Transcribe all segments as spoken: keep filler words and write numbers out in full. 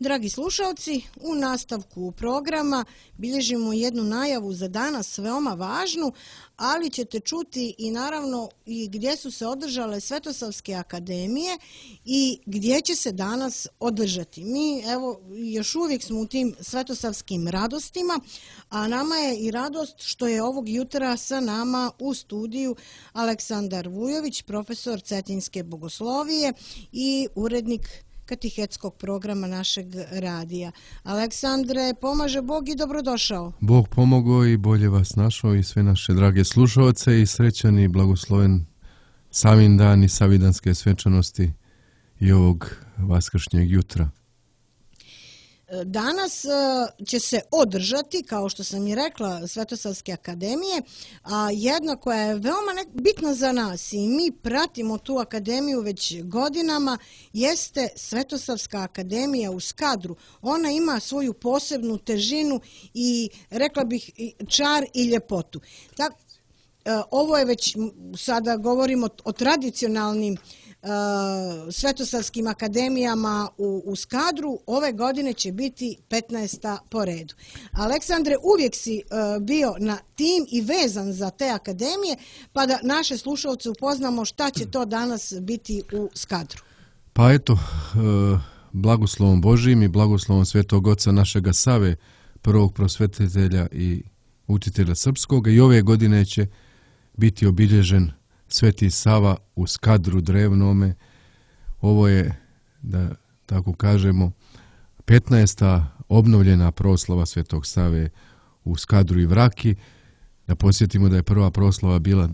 Dragi slušalci, u nastavku programa bilježimo jednu najavu za danas veoma važnu, ali ćete čuti i naravno i gdje su se održale Svetosavske akademije i gdje će se danas održati. Mi evo još uvijek smo u tim svetosavskim radostima, a nama je i radost što je ovog jutra sa nama u studiju Aleksandar Vujović, profesor Cetinske bogoslovije i urednik katehetskog programa našeg radija. Aleksandre, pomaže Bog i dobrodošao. Bog pomogao i bolje vas našao i sve naše drage slušalce i srećan i blagosloven Savin dan i savidanske svečanosti i ovog vaskršnjeg jutra. Danas će se održati, kao što sam i rekla, Svetosavske akademije, a jedna koja je veoma bitna za nas i mi pratimo tu akademiju već godinama, jeste Svetosavska akademija u Skadru. Ona ima svoju posebnu težinu i, rekla bih, čar i ljepotu. Tako, ovo je već, sada govorimo o tradicionalnim Svetosavskim akademijama u, u Skadru. Ove godine će biti petnaesta po redu. Aleksandre, uvijek si uh, bio na tim i vezan za te akademije, pa da naše slušalce upoznamo šta će to danas biti u Skadru. Pa eto, uh, blagoslovom Božijim i blagoslovom Svetog Oca našega Save, prvog prosvetitelja i učitelja srpskog, i ove godine će biti obilježen Sveti Sava u Skadru drevnome. Ovo je, da tako kažemo, petnaesta obnovljena proslava Svetog Save u Skadru i Vraki. Da podsjetimo da je prva proslava bila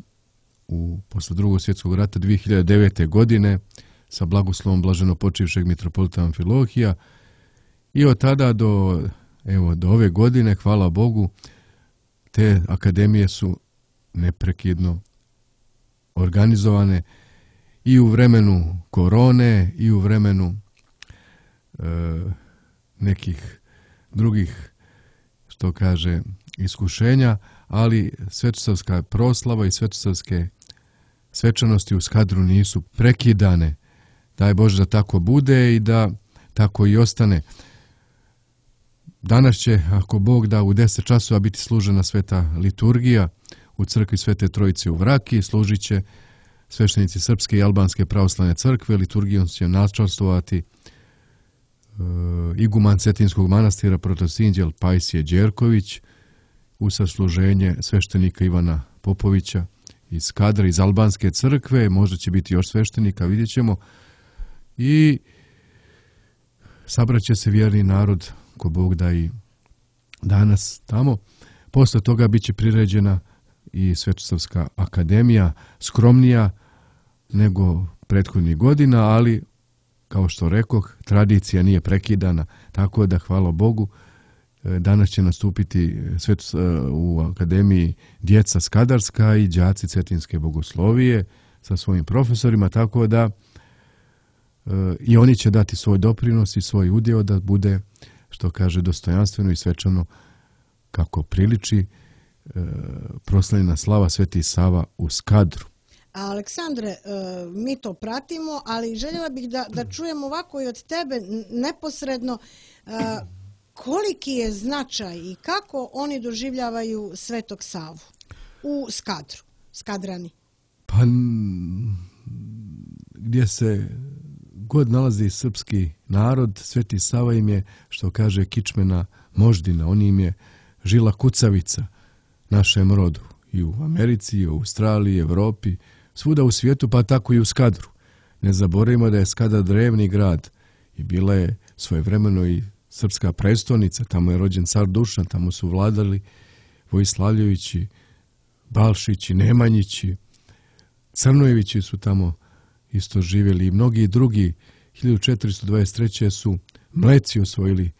u, posle drugog svjetskog rata dvije hiljade devete. godine sa blagoslovom blaženopočivšeg mitropolita Amfilohija. I od tada do, evo, do ove godine, hvala Bogu, te akademije su neprekidno organizovane i u vremenu korone i u vremenu e, nekih drugih, što kaže, iskušenja, ali svetosavska proslava i svetosavske svečanosti u Skadru nisu prekidane. Daj Bože da tako bude i da tako i ostane. Danas će, ako Bog da, u deset časova biti služena sveta liturgija u crkvi Svete Trojice u Vraki. Služit će sveštenici Srpske i Albanske pravoslavne crkve. Liturgijom će načastvovati e, iguman Cetinskog manastira protosinđel Pajsije Đerković, u sasluženje sveštenika Ivana Popovića iz Skadra, iz Albanske crkve. Možda će biti još sveštenika, vidjet ćemo. I sabraće se vjerni narod, ko Bog da, i danas tamo. Posle toga bit će priređena i Svetosavska akademija, skromnija nego prethodnih godina, ali, kao što rekoh, tradicija nije prekidana, tako da, hvala Bogu, danas će nastupiti u akademiji djeca skadarska i đaci Cetinske bogoslovije sa svojim profesorima, tako da i oni će dati svoj doprinos i svoj udjel da bude, što kaže, dostojanstveno i svečano kako priliči proslavljena slava Sveti Sava u Skadru. Aleksandre, mi to pratimo, ali željela bih da, da čujem ovako i od tebe neposredno koliki je značaj i kako oni doživljavaju Svetog Savu u Skadru, Skadrani. Pa gdje se god nalazi srpski narod, Sveti Sava im je, što kaže, kičmena moždina, on im je žila kucavica našem rodu, i u Americi, i u Australiji, Evropi, svuda u svijetu, pa tako i u Skadru. Ne zaboravimo da je Skadar drevni grad i bila je svojevremeno i srpska prestolnica, tamo je rođen car Dušan, tamo su vladali Vojislavljevići, Balšići, Nemanjići, Crnojevići su tamo isto živjeli i mnogi drugi. hiljadu četiristo dvadeset treće. su Mleci osvojili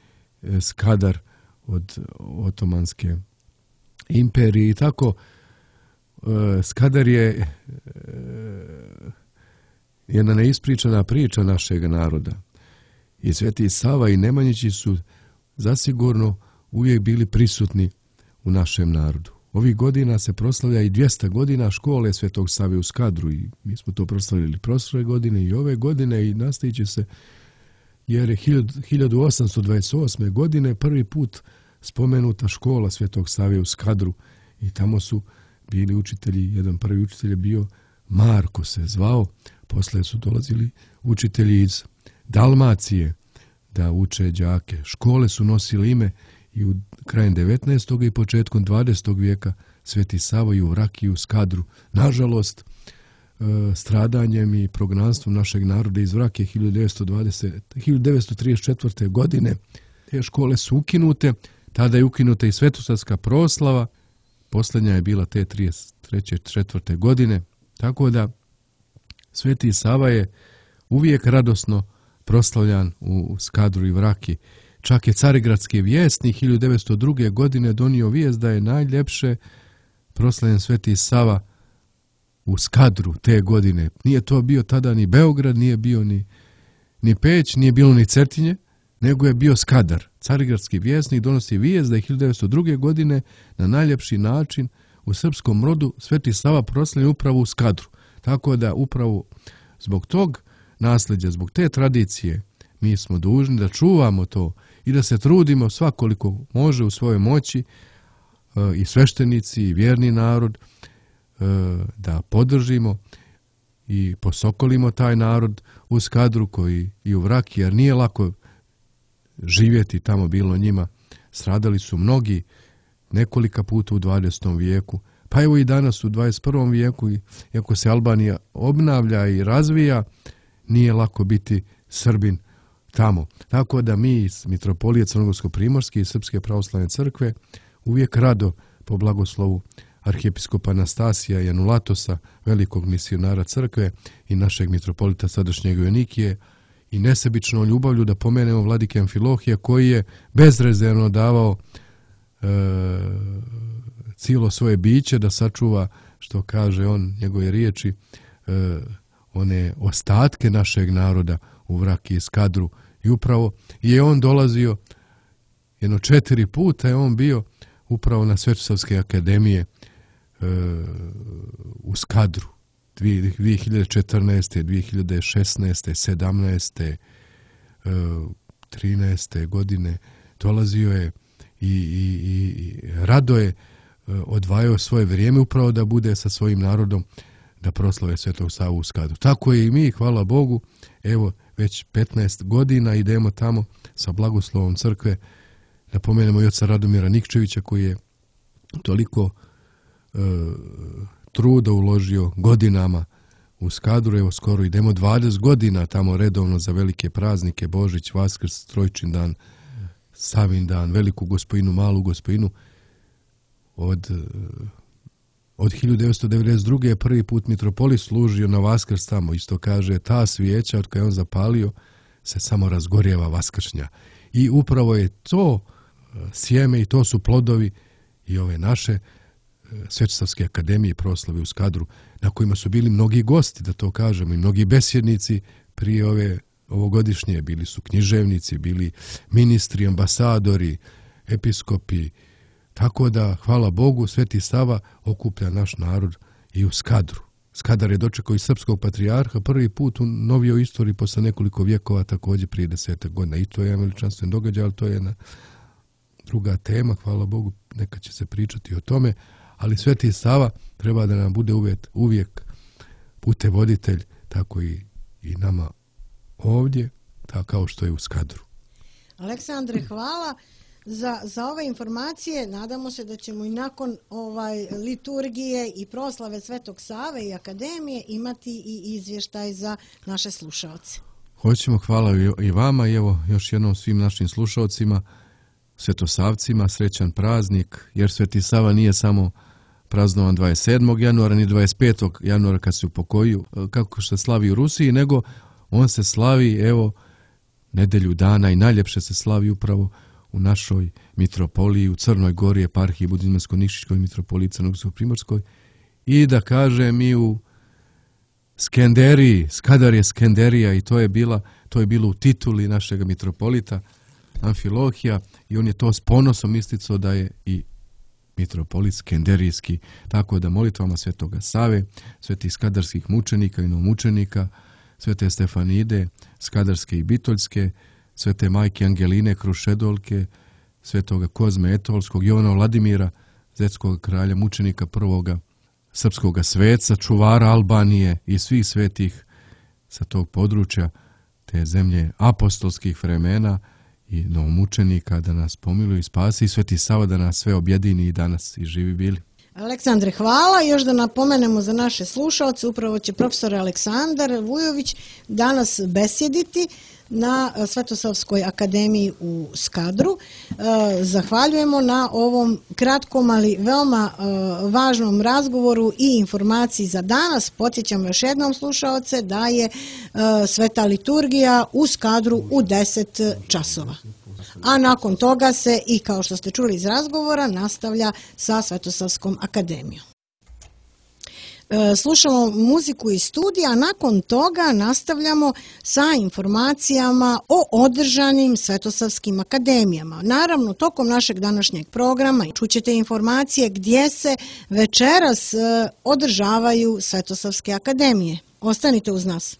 Skadar od Otomanske imperije i tako. Skadar je jedna neispričana priča našeg naroda. I Sveti Sava i Nemanjići su zasigurno uvijek bili prisutni u našem narodu. Ovih godina se proslavlja i dvjesto godina škole Svetog Save u Skadru i mi smo to proslavili prošle godine i ove godine i nastavit će se jer je hiljadu osamsto dvadeset osme. godine prvi put spomenuta škola Svetog Save u Skadru i tamo su bili učitelji, jedan prvi učitelj je bio Marko se zvao, posle su dolazili učitelji iz Dalmacije da uče đake. Škole su nosile ime i u krajem devetnaestog. i početkom dvadesetog. vijeka Sveti Sava i u Vraki i u Skadru. Nažalost, stradanjem i prognanstvom našeg naroda iz Vrake hiljadu devetsto trideset četvrte. godine te škole su ukinute. Tada je ukinuta i svetosavska proslava. Posljednja je bila te trideset treće četvrte. godine. Tako da Sveti Sava je uvijek radosno proslavljan u Skadru i Vraki. Čak je carigradski vjesnik hiljadu devetsto druge. godine donio vijest da je najljepše proslavljen Sveti Sava u Skadru te godine. Nije to bio tada ni Beograd, nije bio ni, ni Peć, nije bilo ni Cetinje, nego je bio Skadar. Carigradski vjesnik donosi vijest da je hiljadu devetsto druge. godine na najljepši način u srpskom rodu Sveti Sava proslavljen upravo u Skadru. Tako da upravo zbog tog nasljeđa, zbog te tradicije, mi smo dužni da čuvamo to i da se trudimo svakoliko može u svojoj moći, i sveštenici i vjerni narod, da podržimo i posokolimo taj narod u Skadru koji i u Vraki, jer nije lako živjeti tamo bilo njima. Stradali su mnogi nekolika puta u dvadesetom. vijeku, pa evo i danas u dvadeset prvom. vijeku, iako se Albanija obnavlja i razvija, nije lako biti Srbin tamo. Tako da mi iz Mitropolije Crnogorsko-primorske i Srpske pravoslavne crkve uvijek rado po blagoslovu arhijepiskopa Anastasija i Anulatosa, velikog misionara crkve i našeg mitropolita sadašnjeg Joanikije, i nesebičnom ljubavlju da pomenemo vladike Amfilohija koji je bezrezervno davao e, cijelo svoje biće da sačuva, što kaže on, njegove riječi, e, one ostatke našeg naroda u Vraki i Skadru. I upravo je on dolazio, jedno četiri puta je on bio upravo na Svetosavske akademije e, u Skadru. dvije hiljade četrnaeste. dvije hiljade šesnaeste. sedamnaeste. trinaeste. godine dolazio je i, i, i rado je odvajao svoje vrijeme upravo da bude sa svojim narodom da proslave Svetog Savu u Skadru. Tako je i mi, hvala Bogu, evo već petnaest godina idemo tamo sa blagoslovom crkve da pomenemo i oca Radomira Nikčevića koji je toliko e, truda uložio godinama u Skadru. Evo skoro idemo dvadeset godina tamo redovno za velike praznike, Božić, Vaskrs, Trojčin dan, Savin dan, Veliku Gospojinu, Malu Gospojinu. Od, od hiljadu devetsto devedeset druge. je prvi put mitropolit služio na Vaskrs tamo. Isto kaže, ta svijeća od koja je on zapalio se samo razgorjeva vaskršnja. I upravo je to sjeme i to su plodovi i ove naše Svetosavske akademije proslave u Skadru, na kojima su bili mnogi gosti, da to kažemo, i mnogi besjednici prije ove ovogodišnje. Bili su književnici, bili ministri, ambasadori, episkopi. Tako da, hvala Bogu, Sveti Sava okuplja naš narod i u Skadru. Skadar je dočekao i srpskog patrijarha prvi put u novijoj istoriji posle nekoliko vjekova, također prije desetak godina. I to je jedan veličanstven događaj, ali to je jedna druga tema, hvala Bogu, neka će se pričati o tome. Ali Sveti Sava treba da nam bude uvijek, uvijek putevoditelj, tako i, i nama ovdje, tako kao što je u Skadru. Aleksandre, hvala za, za ove informacije. Nadamo se da ćemo i nakon ovaj liturgije i proslave Svetog Save i akademije imati i izvještaj za naše slušaoce. Hoćemo, hvala i vama i evo još jednom svim našim slušaocima, Svetosavcima, srećan praznik, jer Sveti Sava nije samo praznovan dvadeset sedmog januara ni dvadeset petog januara kad se upokojio, kako se slavi u Rusiji, nego on se slavi, evo, nedelju dana i najljepše se slavi upravo u našoj mitropoliji, u Crnoj Gori, eparhiji Budimljansko-Nikšićkoj mitropoliji Crnogorsko-primorskoj, i da kažem i u Skenderiji, Skadar je Skenderija, i to je bila, to je bilo u tituli našeg mitropolita Amfilohija, i on je to s ponosom isticao da je i mitropolit skenderijski. Tako da molitvama Svetoga Save, svetih skadarskih mučenika i novomučenika, Svete Stefanide, skadarske i bitoljske, Svete majke Angeline Krušedolke, Svetoga Kozme Etolskog, Jovana Vladimira, zetskog kralja, mučenika prvoga, srpskoga sveca, čuvara Albanije i svih svetih sa tog područja, te zemlje apostolskih vremena i novomučenika, da nas pomiluju i spasi, i Sveti Sava da nas sve objedini i danas i živi bili. Aleksandre, hvala. Još da napomenemo za naše slušalce, upravo će profesor Aleksandar Vujović danas besjediti na Svetosavskoj akademiji u Skadru. Zahvaljujemo na ovom kratkom, ali veoma važnom razgovoru i informaciji za danas. Podsjećamo još jednom slušalce da je Sveta liturgija u Skadru u deset časova. A nakon toga se, i kao što ste čuli iz razgovora, nastavlja sa Svetosavskom akademijom. Slušamo muziku iz studija, a nakon toga nastavljamo sa informacijama o održanim Svetosavskim akademijama. Naravno, tokom našeg današnjeg programa čućete informacije gdje se večeras održavaju Svetosavske akademije. Ostanite uz nas.